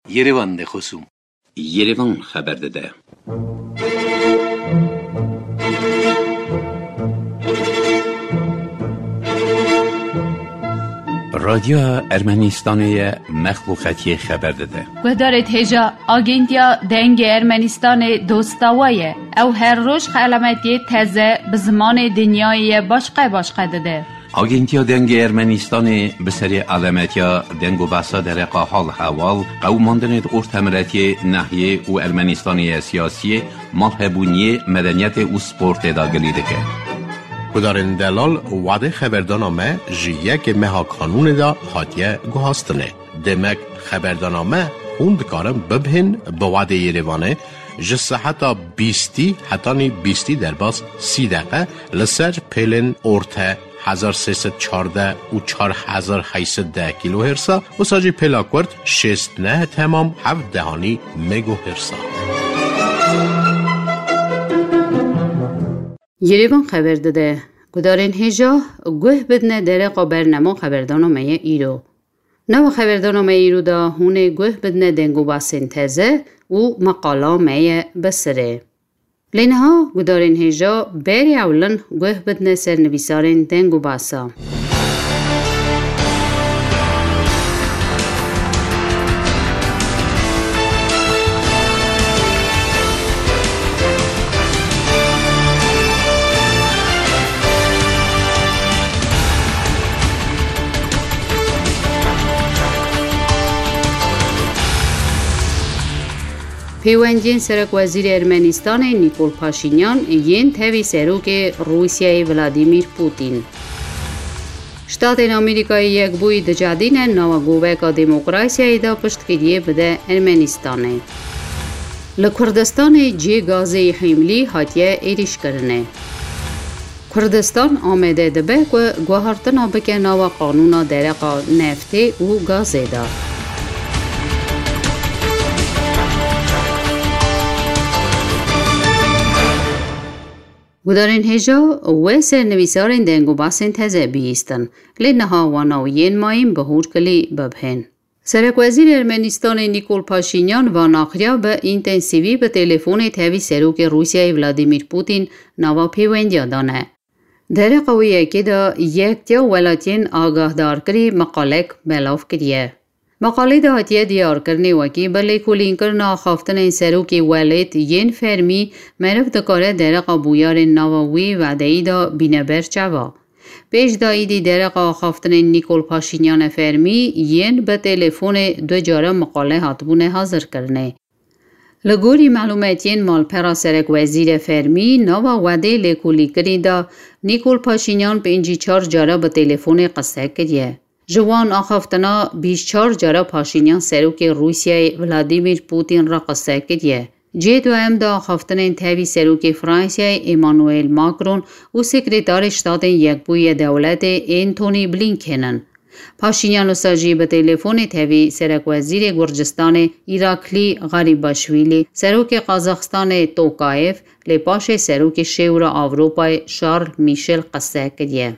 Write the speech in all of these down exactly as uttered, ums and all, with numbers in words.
Yerevan de xosûm. Yerevan xeber dide. Radyoya Ermenistanê ye, mexluqetiyê xeber dide. Guhdarê hêja, Agentiya Dengê Ermenistanê dosta we ye. Ew her roj xelametiyê teze bi zimanê dinyayê ye başqe başqe dide. Agentiya Dengê Ermenistanê bi serê alemetiya deng û behsa dereqa hal hewal, qewimandinê di ortemiletiyê, nehiyê û Ermenistanê ye siyasiyê, malhebûniyê, medeniyetê û sportê de gilî dike. Gudarên delal, wadê xeberdana me ji yekê meha kanûnê de hatiye guhastinê. Demek xeberdana me hûn dikarin bibihên bi wadê Yerevanê ji seheta bîstî hetanî bîstî derbas sî deqe li ser pêlên orte hezar sê sed çardeh û çar hezar heyt sed deh kîlohêrsa, wisa jî pêla kurt şêst neh temam heft dehanî megohêrsa. Yerevan xeber dide. Gudarên hêja, guh bidine dereqa bernema xeberdana me ye îro. Nava xeberdana me îro de hûn ê guh bidine deng û basên teze û meqala me ye bi sirê. Lê niha gudarên hêja berê ewlin guh bidine ser nivîsarên deng û basa. Pêwendiyên serekwezîrê Ermenistanê Nîkol Paşînyan yên tevî serokê Rûsyayê Vladîmîr Pûtîn. Ştatên Amerîkayê Yekbûyî dicedîne nava goveka demokrasiyayê de piştgiriyê bide Ermenistanê. Li Kurdistanê cihê gazê yê Hîmlî hatiye êrîşkirinê. Kurdistan amade dibe ku guhertina bike nava qanûna dereqa neftê û gazê de. Gudarên hêja, we ser nivîsarên deng û basên teze bihîstin, lê niha wana û yên mayîn bi hûr kilî bibihên. Serekwezîrê Ermenistanê Nîkol Paşînyan va naxiriya bi întensîvî bi telefonê tevî serokê Rûsyayê Vladîmîr Pûtîn nava pêwendiya dane. Dereqa wê yekê de Yektiya Welatiyên Agahdarkirî meqalek belav kiriye. Meqalê de hatiye diyarkirinê wekî bi lêkolînkirina axaftinên serokê welêt yên fermî meriv dikare dereqa bûyerên nava wî vedeyî de bîne ber çava. Pêş de îdî dereqa axaftinên Nîkol Paşînyane fermî yên bi telefonê du cara meqale hatibûne hazirkirinê. Li gorî melûmetiyên malpera serekwezîrê fermî, nava wedê lêkolîkirî de Nîkol Paşînyan pêncî çar cara bi telefonê qise kiriye. Ji wan axaftina bîst çar cara Paşînyan serokê Rûsyayê Vladîmîr Pûtîn re qise kiriye. Cihê duhem de axaftinên tevî serokê Fransayê Emmanuel Macron û Sekretarê Ştatên Yekbûyî yê Dewletê Antony Blinken in. Paşînyan wisa jî bi telefonê tevî serekwezîrê Gurcistanê Îraklî Garîbaşvîlî, serokê Qazaxistanê Tokayev, lê paşê serokê Şêwra Ewropayê Charles Michel qise kiriye.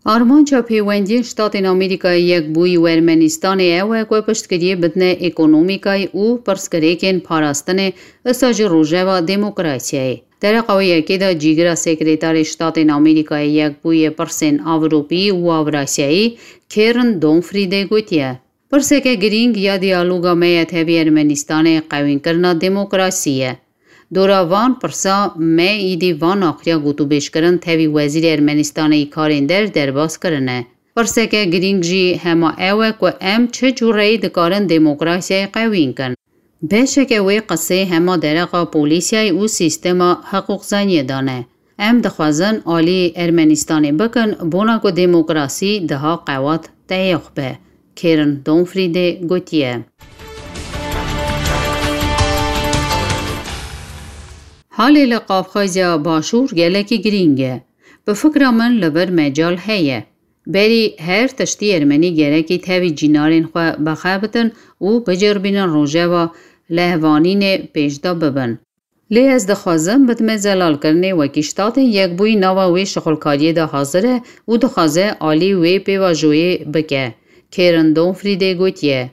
Armanca pêwendiyên Ştatên Amerîkayê Yekbûyî û Ermenistanê ew e ku piştgiriyê bidine ekonomîkayê û pirsgirêkên parastinê, wisa jî rojeva demokrasiyayê. Dereqa wê yekê de cîgira Sekretarê Ştatên Amerîkayê Yekbûyî yê pirsên Ewropî û Ewrasyayî Karen Donfrîdê gotiye, Pirseke girîng ya diyaloga me ya tevî Ermenistanê qewînkirina demokrasî ye. Dora van pirsa me îdî van axiriya gotûbêjkirin tevî Wezîrê Ermenistanê yî Karên Der derbas kirine. Pirseke girîng jî hema ew e ku em çi cûreyî dikarin demokrasiyayê qewîn kin. Beşeke wê qisê hema dereqa polîsiyayê û sîstema hiqûqzaniyê de ne. Em dixwazin alî Ermenistanê bikin, bona ku demokrasî daha qewat teyax be, Karen Donfrîdê gotiye. Halê li Qafqazya Başûr gelekî girîng e. Bi fikra min li vir mecal heye. Berî her tiştî Ermenî gerekî tevî cînarên xwe bixebitin û biceribînin rojeva lehvanînê pêşda bibin. Lê ez dixwazim bidime zelalkirinê wekî Ştatên Yekbûyî nava wê şixulkariyê de hazir e û dixwaze alî wê pêvajoyê bike. Karen Donfriedê gotiye.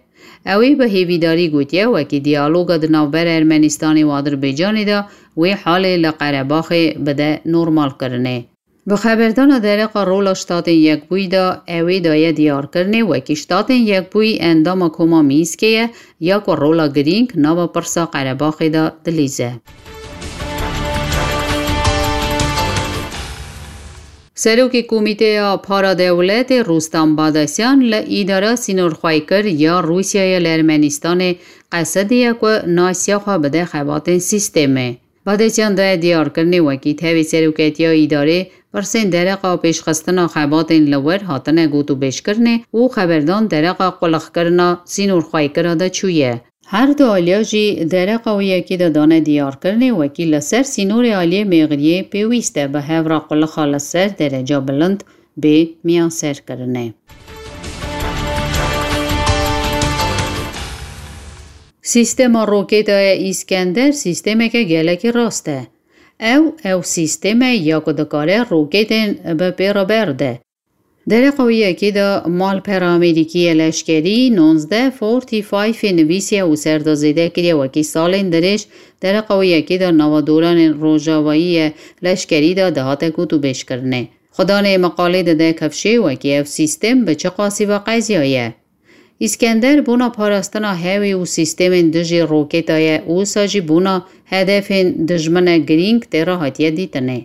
Ew ê bi hêvîdarî gotiye wekî diyaloga di navbera Ermenistanê û Adirbaycanê de wê halê li Qerebaxê bide normalkirinê. Bi xeberdana dereqa rola Ştatên Yekbûyî de ew ê daye diyarkirinê wekî Ştatên Yekbûyî endama Koma Mînskê ye ya ku rola girîng nava pirsa Qerebaxê de dilîze. Serokê Komîteya Paradewletê Rûstam Badasyan li Îdara Sînorxweyker ya Rûsyayê li Ermenistanê qesediye ku nasiya xwe bide xebatên sîstemê. Badasyan daye diyarkirinê wekî tevî seroketiya îdarê pirsên dereqa pêşxistina xebatên li wir hatine gotûbêjkirinê û xeberdan dereqa qulixkirina sînorxweykira de çûye. Her du aliya jî dereqa wê yekê de dane diyarkirinê wekî li ser sînorê aliyê mêxiriyê pêwîst e bi hev re qulixa li ser dereca bilind bê miyanserkirinê. Sîstema roketaya Îskender sîstemeke gelekî rast e. Ew, ew sîstem e ya ku dikare roketên bi pê re berde. Dereqa wê yekê de malpera Amerîkî yê leşkerî nonzdeh forty five ê nivîsiye û ser de zêde kiriye wekî salên dirêj dereqa wê yekê de nava doranên rojavayî yê leşkerî de dihate gotûbêjkirinê. Xudanê miqalê dide kifşê wekî ev sîstem bi çi qasî ve qeziyaye. Îskender bona parastina hewê û sîstemên dijî roketa ye û wisa jî bona hedefên dijmine girîng tê re hatiye dîtinê.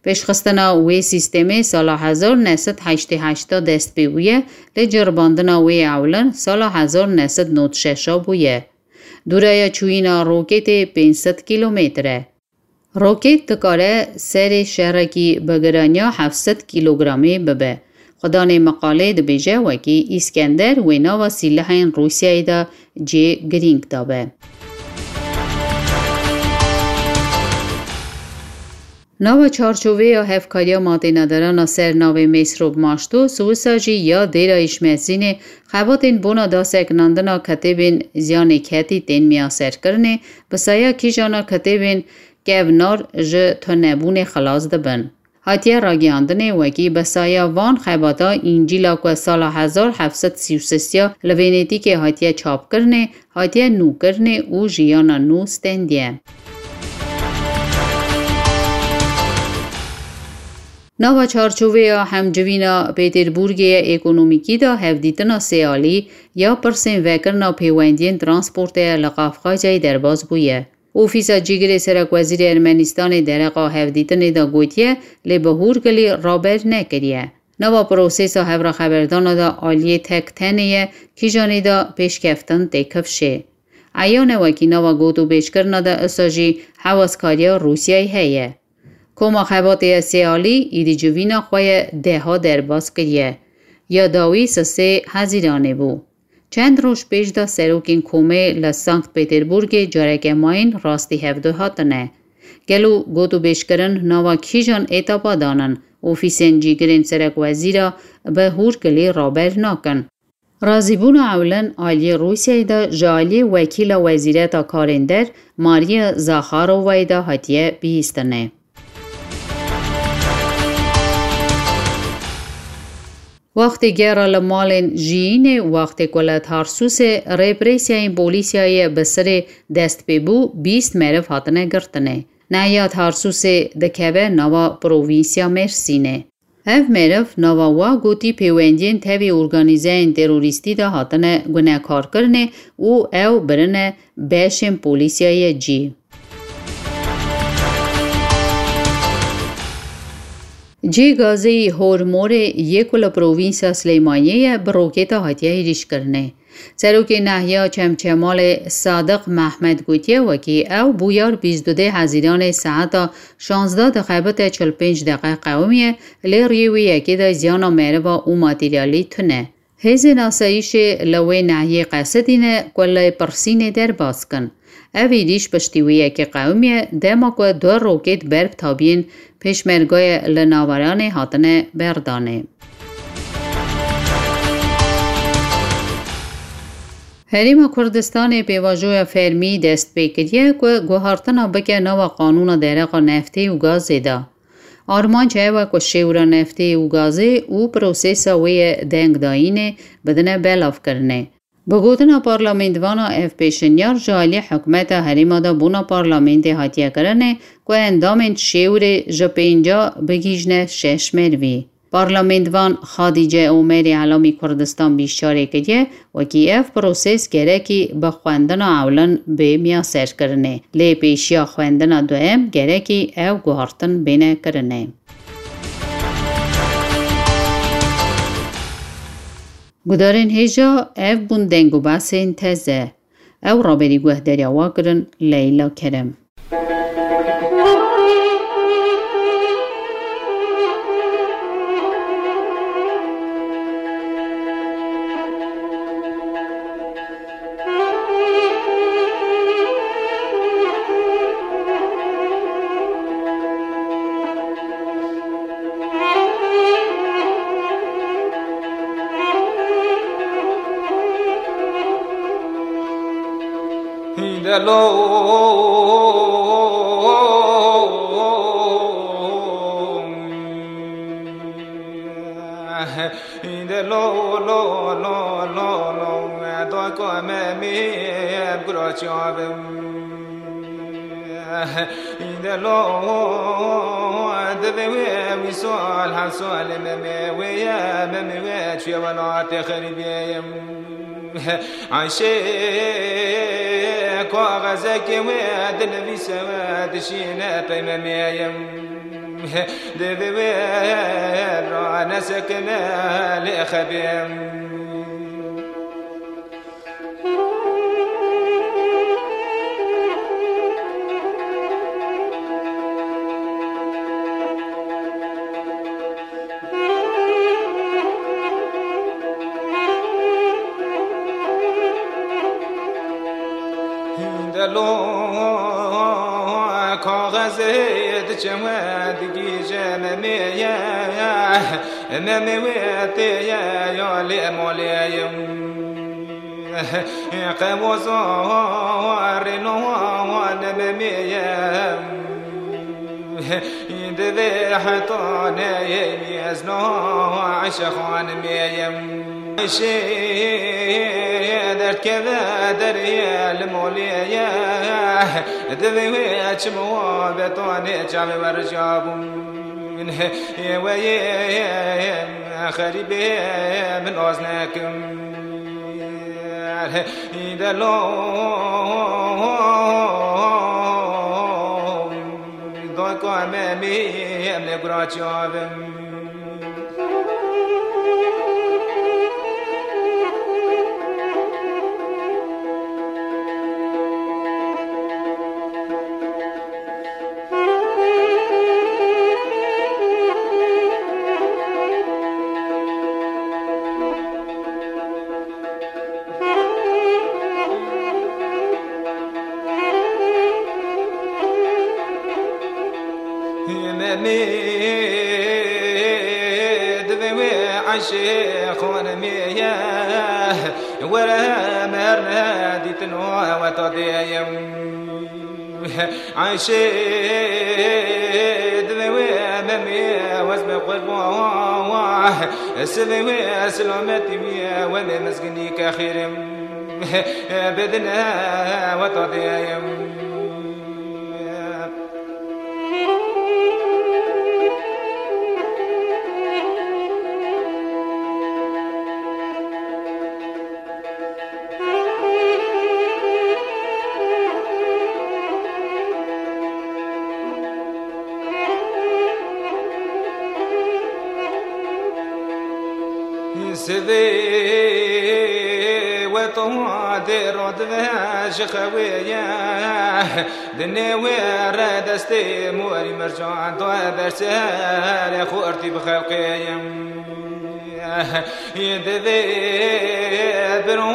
Pêşxistina wê sîstemê sala hezar neh sed heştê heşt de dest pê bûye, lê ceribandina wê ya ewlin sala hezar neh sed nod şeş a bûye. Dûreya çûyîna roketê pênc sed kîlometre. Roket dikare serê şerekî bi giraniya heft sed kîlogramê bibe. Xudanê miqalê dibêje wekî Îskender wê nava sîlehên Rûsyayê de cê girîng dabe. Nava çarçoveya hevkariya matênedarana ser navê Mêsrob Maşto, Swisa jî ya Dêra Îşmesînê xebatên bona daseknandina kitêbên ziyanê ketî tên miyaserkirinê, bi saya kîjana kitêbên kevnar ji tunebûnê xilas dibin. Hatiye ragihandinê wekî bi saya van xebata Încîla ku sala hezar heft sed sî û sê ya li Venetîkê hatiye çapkirinê, hatiye nûkirinê û jiyana nû stendiye. Nava çarçoveya hemcivîna Pêtêrburgê ye ekonomîkî de hevdîtina sêalî ya pirsên vekirina pêwendiyên transportê ye li Qafqazyayê derbas bûye. Ofîsa Cîgirê Serekwezîrê Ermenistanê dereqa hevdîtinê de gotiye, lê bi hûrgilî raber nekiriye. Nava prosesa hevraxeberdana de aliyê tek tenê ye, kîjanê de pêşkeftin tê kifşê. Eyan e wekî nava gotûbêjkirina de isa jî hewazkariya Rûsyayê heye. Koma xebatê ye sêalî, êdî civîna xwe ye deha derbas kiriye. Ya dawî sisê Hezîranê bû. Çend roj pêş de serokên komê li Sankt Peterburgê careke mayîn rastî hevdu hatine. Gelo gotûbêjkirin nava kîjan etapa danin? Ofîsên cîgirên serekwezîra bi hûrgilî raber nakin. Razîbûna ewlin aliyê Rûsyayê de ji aliyê wekîla Wezîreta Karên Der Maria Zakharovayê de hatiye bihîstinê. Wextê gera li malên jiyînê, wextê ku li Tarsûsê reprêsiyayên polîsiyayê bi sirê dest pê bû, bîst meriv hatine girtinê. Nehiya Tarsûsê dikeve nava provînsiya Mêrsînê. Ev meriv nava wa gotî pêwendiyên tevî organîzeyên terorîstî de hatine gunekarkirinê û ew birine beşên polîsiyayê cî. Cê gazeyî Hormorê yê ku li provînsa Silêmaniyê ye, bi roketa hatiye êrîşkirinê. Serokê Nehiya Çemçemalê Sadiq Mehmed gotiye, wekî ew bûyar bîst û du Hezîranê saeta şazdeh dixebite çil pênc deqe qewimiye, lê riyê wê yekê de ziyana meriva û materyalî tune. Hêzên asayîşê li wê nehiyê qesedîne ku li Pirsînê derbas kin. Ev êrîş piştî wê yekê qewimiye, dema ku du roket ber bi tabiyên pêşmergayê li Naveranê hatine berdanê. Herêma Kurdistanê pêvajoya fermî dest pê kiriye ku guhartina bike nava qanûna dereqa neftê û gazê de. Armanc ew e ku şêwra neftê û gazê û prosesa wê yê dengdayînê bidine belavkirinê. Bi gotina parlamentvana, ev pêşinyar ji alî hikûmeta herêma de bona parlamentê hatiye kirinê ku endamên şêwrê ji pênca bigihîjne şeş merivî. Parlamentvan Xadîce Omerê Elamî Kurdistan bîşarê kiriye, wekî ev proses gerekî bi xwendina ewlin bê miyaserkirinê, lê pêşiya xwendina duem gerekî ev guhartin bêne kirinê. Gudarên hêja, ev bûn deng û behsên teze. Ew raberî guhdarîya we kirin Leyla Kerem. Divê wê wî sal her sal memê wê ye, memê wê çûye welatê xerîbê ye. Ayşê kaxezekê wê dinivîse wê dişîne pey memê ye. Divê wê ra nesekine lê xebê. Delo kaxezê diçe we digîje memê ye, memê wê tê ye ya lê molê ye. Qewozo rêno ne memê ye. Divê heta neyê mezno Ayşe xanimê ye. Ayşê derdkeve derê li molê ye. Divê wê çimo betonê çavê werca bûn. Wê yê xerîbê min az nekim. Delo dayka me mê em lê gura çavim. Memê divê wê Ayşê xanimê ye, were merne dîtin o weta dê ye. Ayşê divê wê memê wez be qurban, sivê wê selametî wê wemê mezginî ke xêrim. Bidine weta dê ye. Sivê we to dê radive ji xewê ye. Dinê wê re destê morî mercan da ber serê xortî bi xelqê ye. Divê biro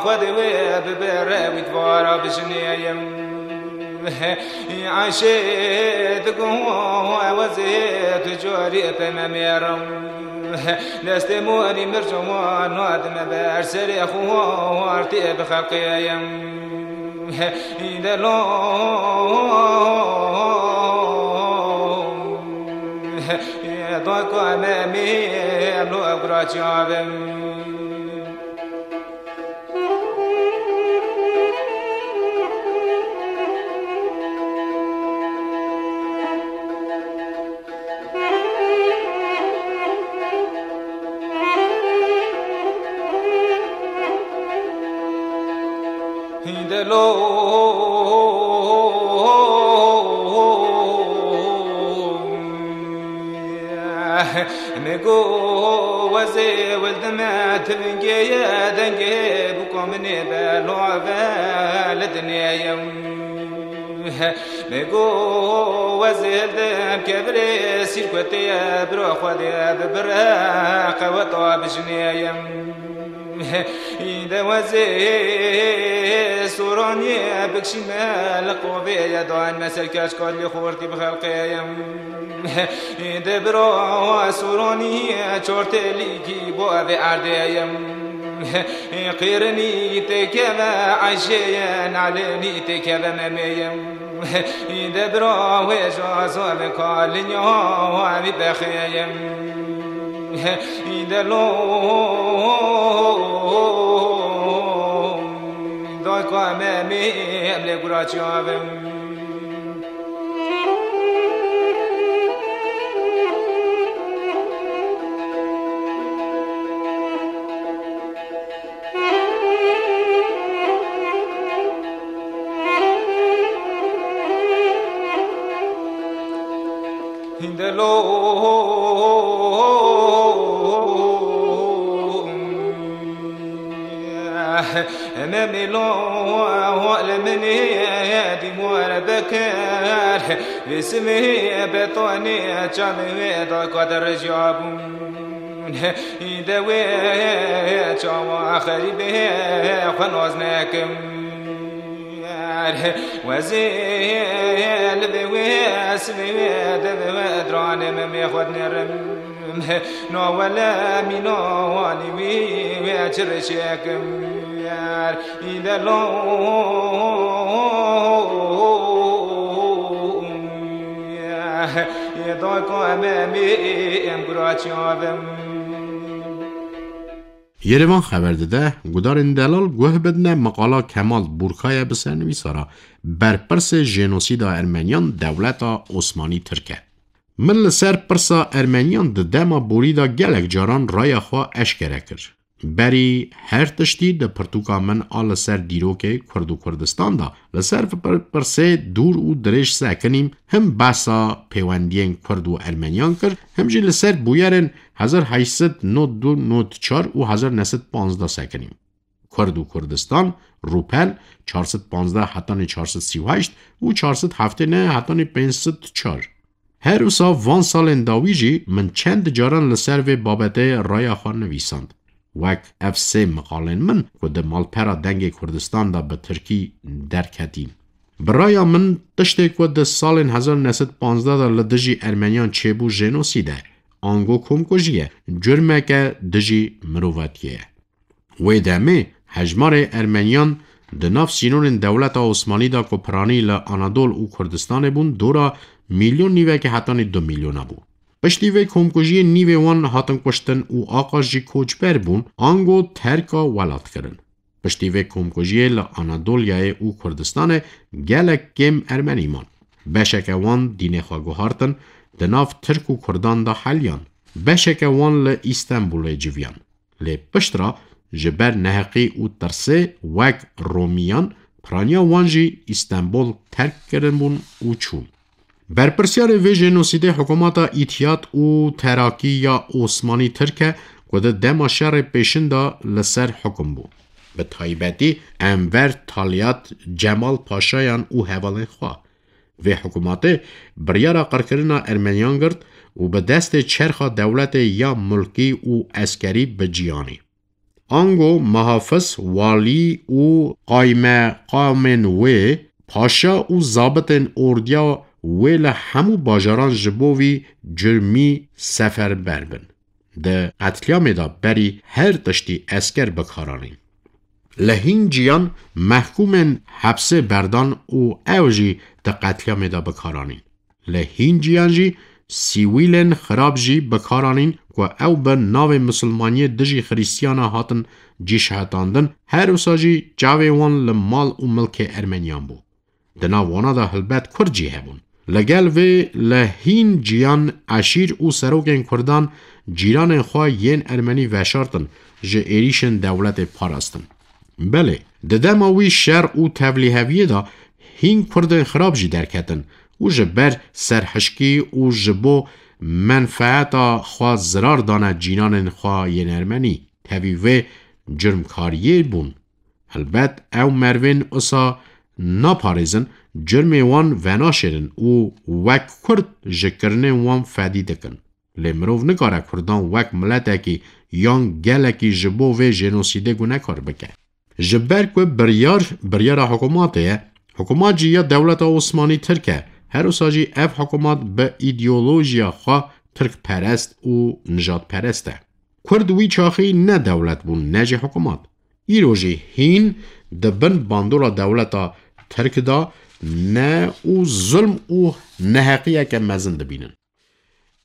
xwe divê bibire wî divara bijinê ye. Eşê digo wezê tu corî peme mêrim. Destê morî mirco nadime ber serê xwartê bi xelqê yim. Delo doy ku me mê lo gura çavim. Hîndelo Me go wezê wildime tivingê ye dengê bûko minê be love li dinê ye. Me go wezê hildim kevirê sîrkotê ye biro xwedê bibire qeweta bijinê ye. De wezê soraniyê bikşîme li qovê ye dain me ser keç kalê xortî bi xelqê ye. De bira soranî çor telîkî bo evê erdê ye. Qêrinî têkeve eşê ye, nalênî têkeve memê ye. De bira wê ji azar kalin ya wî bexê ye. De lo dayka me mê em lê gura çavim. Hindelo Memîlo hol minê dîmor bekir, vê simê betonê çavê wê da kadir jabûn. De wê çawa xerîbê xwe naz nekim. Wezê li vê wê simê wê de vê wê diranê me mê xwe dinêrim. Na wele mîna wanî wî wê çi reşekim. Îde lo Yê dayka me mê em gura çavim. Yerevan xeber dide, gudarên delal guh bidine meqala Kemal Burkaya bi sernivîsara berpirsê jenosîda Ermeniyan dewleta Osmanî Tirk e. Min li ser pirsa Ermeniyan di dema borî de gelek caran raya xwe eşkere kir. Berî her tiştî di pirtûka min a li ser dîrokê Kurd û Kurdistan de li ser pir-, pirsê dûr û dirêj sekinîm, him behsa pêwendiyên Kurd û Ermeniyan kir, him jî li ser bûyerên hezar heşt sed nod du nod çar û hezar neh sed panzdeh sekinîm. Kurd û Kurdistan, rûpel çar sed panzdeh hetanî çar sed sî û heşt û çar sed heftê neh hetanî pênc sed çar. Her wisa van salên dawî jî min çend caran li ser vê babetê raya xwe nivîsand. Wek ev sê miqalên min ku di malpera Dengê Kurdistan de bi tirkî derketîn. Bi raya min tiştê ku di salên hezar neh sed panzdeh de li dijî Ermeniyan çêbû jenosîd e, ango komkujî ye, curmeke dijî mirovatiyê ye. Wê demê hejmarê Ermeniyan di nav sînorên dewleta Osmanî de ku piranî li Anadol û Kurdistanê bûn, dora milyon nîvekê hetanî du milyona bû. Piştî vê komkujiyê nîvê wan hatin kuştin û aqas jî koçber bûn, ango terka welat kirin. Piştî vê komkujiyê li Anadolyayê û Kurdistanê gelek kêm Ermenî man. Beşeke wan dînê xwe guhartin, di nav Tirk û Kurdan de heliyan. Beşeke wan li Îstenbulê civiyan. Lê piştre ji ber neheqî û tirsê wek Romiyan piraniya wan jî Îstenbul terk kiribûn û çûn. Berpirsyarê vê jenosîdê hikûmeta Îtiyad û Terakî ya Osmanî Tirk e ku di dema şerê pêşin de li ser hikûm bû. Bi taybetî Enver Talyat, Cemal Paşayan û hevalên xwe. Vê hikûmatê biryara qirkirina Ermeniyan girt û bi destê çerxa dewletê ya mulkî û eskerî bi cî anî. Ango muhafiz, walî û qaymeqamên wê Paşa û zabitên ordiya wê li hemû bajaran ji bo vî curmî seferber bin. Di qetlîamê de berî her tiştî esker bi kar anîn. Li hîn ciyan mehkûmên hepsê berdan û ew jî di qetlîamê de bi kar anîn. Li hîn ciyan jî sîwîlên xirab jî bi kar anîn ku ew bi navê misilmaniyê dijî xirîstiyana hatin cîşhetandin, her wisa jî çavê wan li mal û milkê Ermeniyan bû. Di nav wana de helbet Kurd jî hebûn. Li gel vê li hîn ciyan eşîr û serokên Kurdan cîranên xwe yên Ermenî veşartin, ji êrîşên dewletê parastin. Belê, di dema wî şer û tevlîheviyê de hîn Kurdên xirab jî derketin û ji ber serhişkî û ji bo menfeeta xwe zirar dane cîranên xwe yên Ermenî. Tevî vê curmkariyê bûn. Helbet ew mervên usa naparêzin, curmê wan venaşêrin û wek Kurd ji kirinên wan fedî dikin. Lê mirov nikare Kurdan wek miletekî yan gelekî ji bo vê jenosîdê gunekar bike. Ji ber ku biryar, biryara hikûmatê ye, hikûmat jî ya dewleta Osmanî Tirk e, her wisa jî ev hikûmat bi îdeolojiya xwe tirkperest û nijadperest e. Kurd wî çaxî ne dewlet bûn, ne jî hikûmat. Îro jî hîn di bin bandora dewleta Tirk de ne û zulm û neheqiyeke mezin dibînin.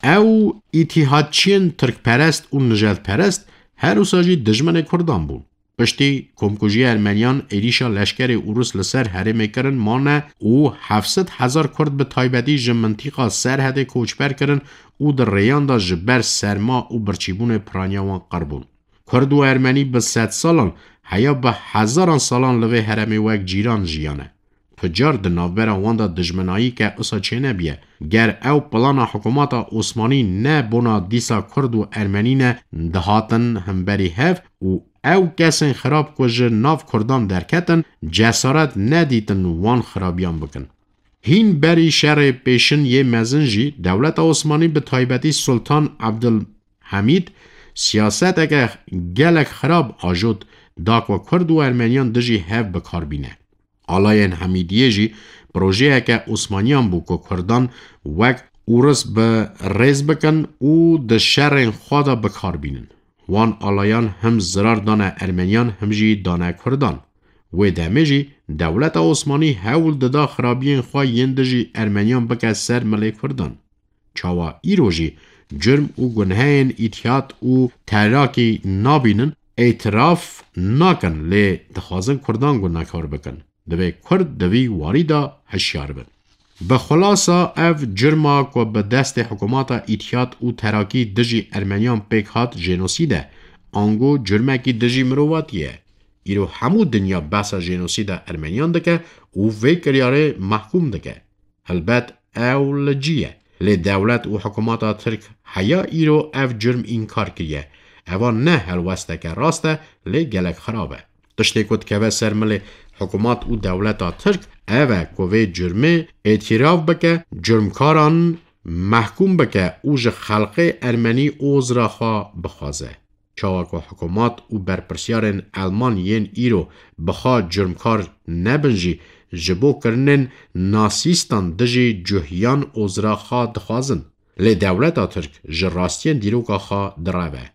Ew îtîhadçiyên tirkperest û nijadperest her wisa jî dijminê Kurdan bûn. Piştî komkujiya Ermeniyan êrîşa leşkerê Ûrus li ser herêmê kirin mane û heft sed hezar Kurd bi taybetî ji mintîqa Serhedê koçber kirin û di rêyan de ji ber serma û birçîbûnê piraniya wan qir bûn. Kurd û Ermenî bi sedsalan, heya bi hezaran salan li vê herêmê wek cîran jiyane. Tu car di navbera wan de dijminayî ke usa çênebiye. Ger ew plana hikûmeta Osmanî ne bona dîsa Kurd û Ermenî ne dihatin himberî hev û ew kesên xirab ku ji nav Kurdan derketin, cesaret nedîtin wan xirabiyan bikin. Hîn berî şerê pêşin yê mezin jî dewleta Osmanî bi taybetî Sultan Abdulhamîd siyaseteke gelek xirab ajot da ku Kurd û Ermeniyan dijî hev bi kar bîne. Alayên Hamîdiyê jî projeyeke Osmaniyan bû ku Kurdan wek Ûris bi rêz bikin û di şerên xwe de bi kar bînin. Wan alayan him zirar dane Ermeniyan him jî dane Kurdan. Wê demê jî dewleta Osmanî hewl dida xirabiyên xwe yên dijî Ermeniyan bike ser milê Kurdan. Çawa îro jî curm û gunheyên îtîhat û terakî nabînin, îtiraf nakin, lê dixwazin Kurdan gunekar bikin. Divê Kurd di vî warî de hişyar bin. Bi xulasa ev curma ku bi destê hikûmeta îtîhat û terakî dijî Ermeniyan pêk hat jenosîd e, ango curmekî dijî mirovatiyê ye. Îro hemû dinya behsa jenosîda Ermeniyan dike û vê kiryarê mehkûm dike. Helbet ew li cî ye. Lê dewlet û hikûmeta Tirk heya îro ev curm înkar kiriye. Eva ne helwesteke rast e, lê gelek xirab e. Tiştê ku dikeve ser milê hikûmat û dewleta Tirk ev e ku vê curmê îtîraf bike, curmkaran mehkûm bike û ji xelqê Ermenî ozra xwe bixwaze. Çawa ku hikûmat û berpirsiyarên Elman yên îro bi xwe curmkar nebin jî, ji bo kirinên nasîstan dijî cuhiyan ozra xwe dixwazin. Lê dewleta Tirk ji rastiyên dîroka xwe direve.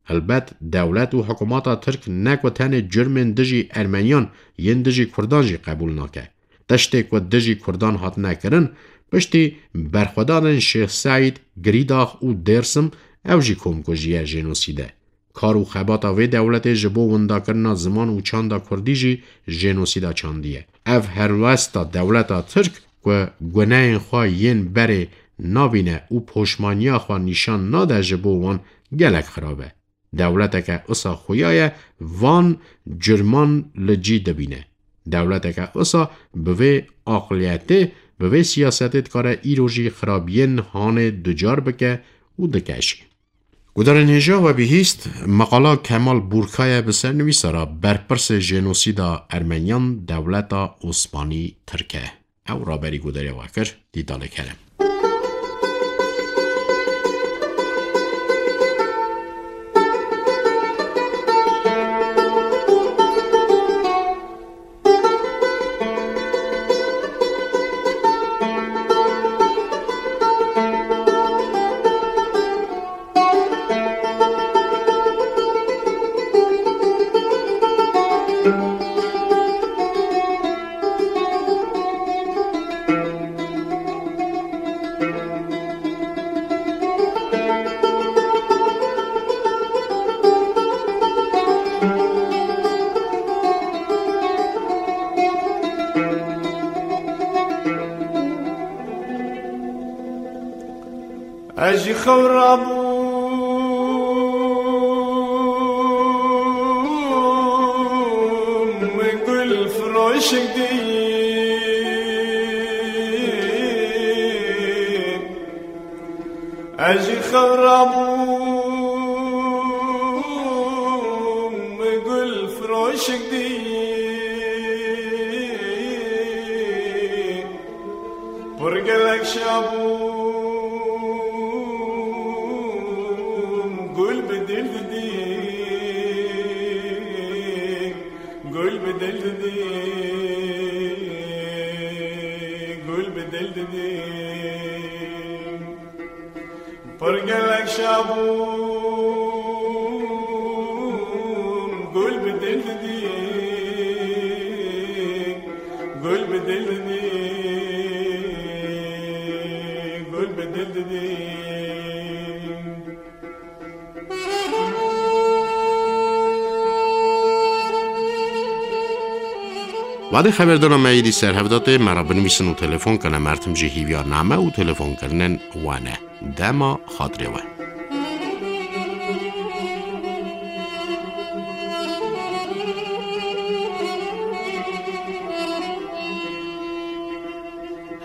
Helbet dewlet û hikûmeta Tirk ne ku tenê curmên dijî Ermeniyan yên dijî Kurdan jî qebûl nake. Tiştê ku dijî Kurdan hatine kirin, piştî berxwedanên Şêx Seîd, Girîdax û Dêrsim, ew jî komkujî ye, jenosîd e. Kar û xebata vê dewletê ji bo windakirina ziman û çanda Kurdî jî jenosîda çandî ye. Ev helwesta dewleta Tirk ku guneyên xwe yên berê nabîne û poşmaniya xwe nîşan nade ji bo wan gelek xirab e. Dewleteke usa xuya ye van curman li cî dibîne. Dewleteke usa bi vê aqliyetê, bi vê siyasetê dikare îro jî xirabiyên hanê ducar bike û dike jî. Gudarên hêja we bihîst, meqala Kemal Burkaye bi sernivîsa re berpirsê jenosîda Ermeniyan dewleta Osmanî Tirk e. Ew raberî gudarê we kir, dîtalê kerem. Jî xew rabûm gul firoşik dî. Ez jî xew rabûm gul firoşik dî. Pir gelek şabûm gul bi dil didî. Gul bi dil didî. Gul bi dil didî. Pir gelek şabûm gul bi dil didî. Gul bi dil didî. Gul bi dil didî. Wadê xeberdana me êdî ser hev de tê, me re binivîsin û telefon kene. Mertim jî hîviya name û telefonkirinên we ne. Dema xatirê we.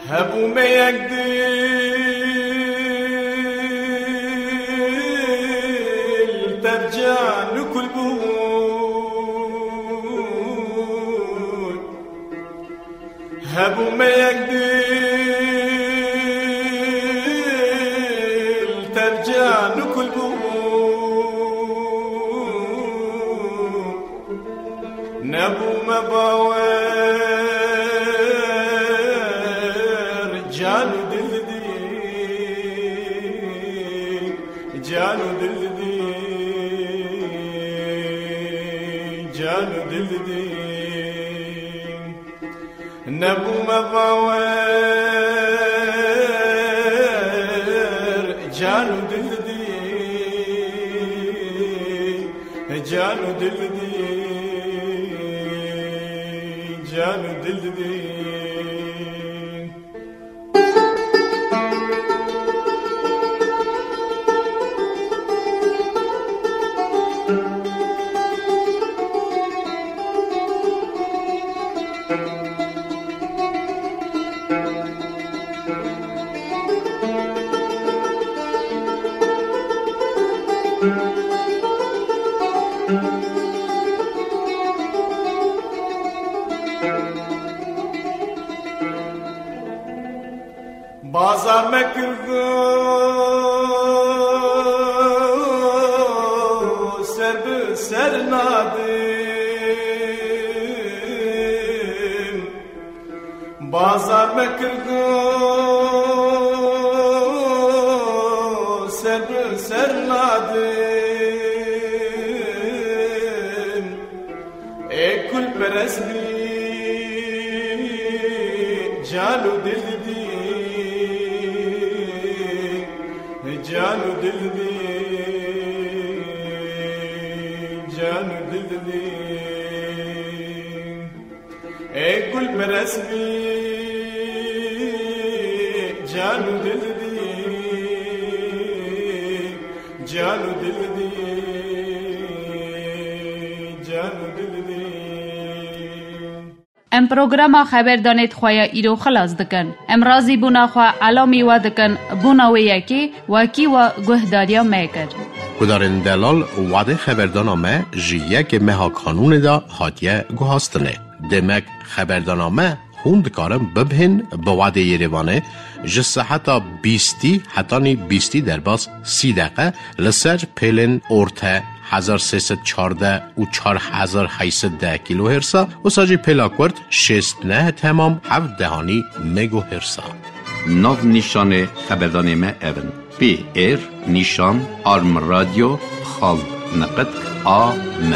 Hebû me yek dil, tev can û kul bûn. Hebû me yek dil, tev can û kul bûn. Nebûme bawer, can û dil didî. Can û dil didî. Can û dil didî. Nebûme bawer, can û dil didî. Can û dil didî. Can û dil didî. Bazar me kir ser bi ser nadim. Bazar me kir ser bi ser nadim. Ê kulperest bî, can û dil didî, can û dil didî, can û dil didî. Ê kulperest bî, can û dil didî, can û dil didî, can û dil didî. Em programa Xeberdanê di xwe ya îro xilas dikin. Em razîbûna xwe elamî we dikin, bona wê yekê wekî we guhdariya me kir. Guhdarên delal, wadê xeberdana me ji yekê meha Kanûnê de hatiye guhastinê. Demek xeberdana me hûn dikarin bibihên bi wadê Yerêvanê ji seheta bîstî hetanî bîstî derbas sî deqe li ser pêlên orte hezar sê sed çardeh û çar hezar heyt sed deh kîlohêrsa, wisa jî pêla kurt şêst neh temam heft dehanî megohêrsa. Nav nîşanê xeberdanê me ev in: P R nîşan arm radyo xal neqet A M.